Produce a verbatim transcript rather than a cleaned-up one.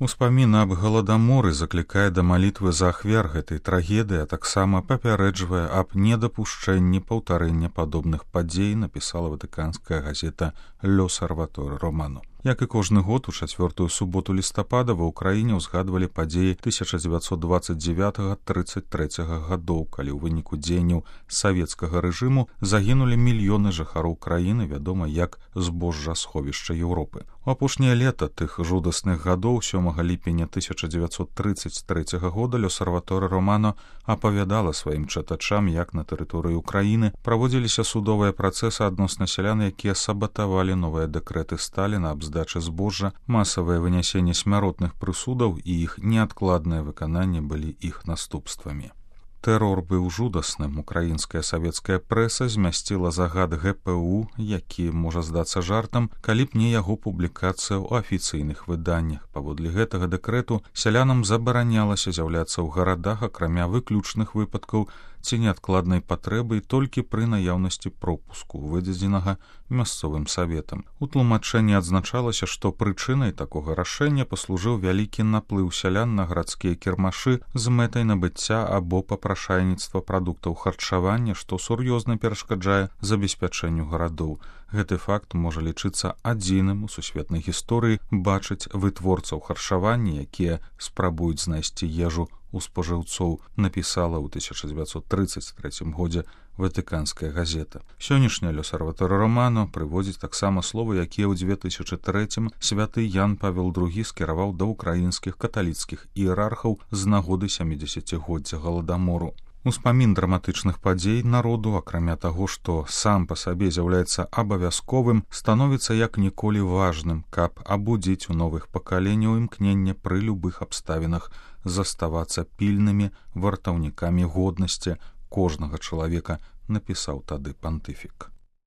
Успамін аб галадаморы заклікае да малітвы за ахвяр гэтай трагедыі, а таксама папярэджвае аб недапушчэнні паўтарэння падобных падзей, напісала ватыканская газета «L'Osservatore Romano». Як і кожны год, у чацвёртую суботу лістапада ва ўкраіне ўзгадвалі падзеі тысяча дзевяцьсот дваццаць дзевятага - трыццаць трэцяга гадоў, калі ў выніку дзеянняў савецкага рэжыму загінулі мільёны жыхароў краіны, вядома як збожжасховішча Еўропы. У апошняе лета тых жудасных гадоў сёмага ліпеня тысяча дзевяцьсот трыццаць трэцяга года «L'Osservatore Romano» апавядала сваім чытачам, як на тэрыторыі ўкраіны праводзіліся судовыя працэсы адносна сялян, якія сабатавалі новыя дэкрэты Сталіна аб здачы збожжа, масавае вынясенне смяротных прысудаў і іх неадкладнае выкананне былі іх наступствамі. Тэрор быў жудасным. Украінская савецкая прэса змясціла загад гэ пэ у, які можа здацца жартам, калі б не яго публікацыя ў афіцыйных выданнях. Паводле гэтага дэкрэту сялянам забаранялася з'яўляцца ў гарадах, акрамя выключных выпадкаў ці неадкладнай патрэбы, толькі пры наяўнасці пропуску, выдадзенага мясцовым саветам. У тлумачэнні адзначалася, што прычынай такога рашэння паслужыў вялікі наплыў сялян на гарадскія кірмашы з мэтай набыцця або папрашайніцтва прадуктаў харчавання, што сур'ёзна перашкаджае забеспячэнню гарадоў. Гэты факт можа лічыцца адзіным у сусветнай гісторыі бачыць вытворцаў харчавання, якія спрабуюць знайсці ежу у спажыўцоў, напісала ў тысяча дзевяцьсот трыццаць трэцім годзе ватыканская газета. Сённяшняя «L'Osservatore Romano» прыводзіць таксама словы, якія ў дзве тысячы трэцім святы Ян Павел другі скіраваў да ўкраінскіх каталіцкіх іерархаў з нагоды сямідзесяцігоддзя галадамору. Успамін драматычных падзей народу, акрамя таго, што сам па сабе з'яўляецца абавязковым, становіцца як ніколі важным, каб абудзіць у новых пакаленняў імкненне пры любых абставінах заставацца пільнымі вартаўнікамі годнасці кожнага чалавека, напісаў тады пантыфік.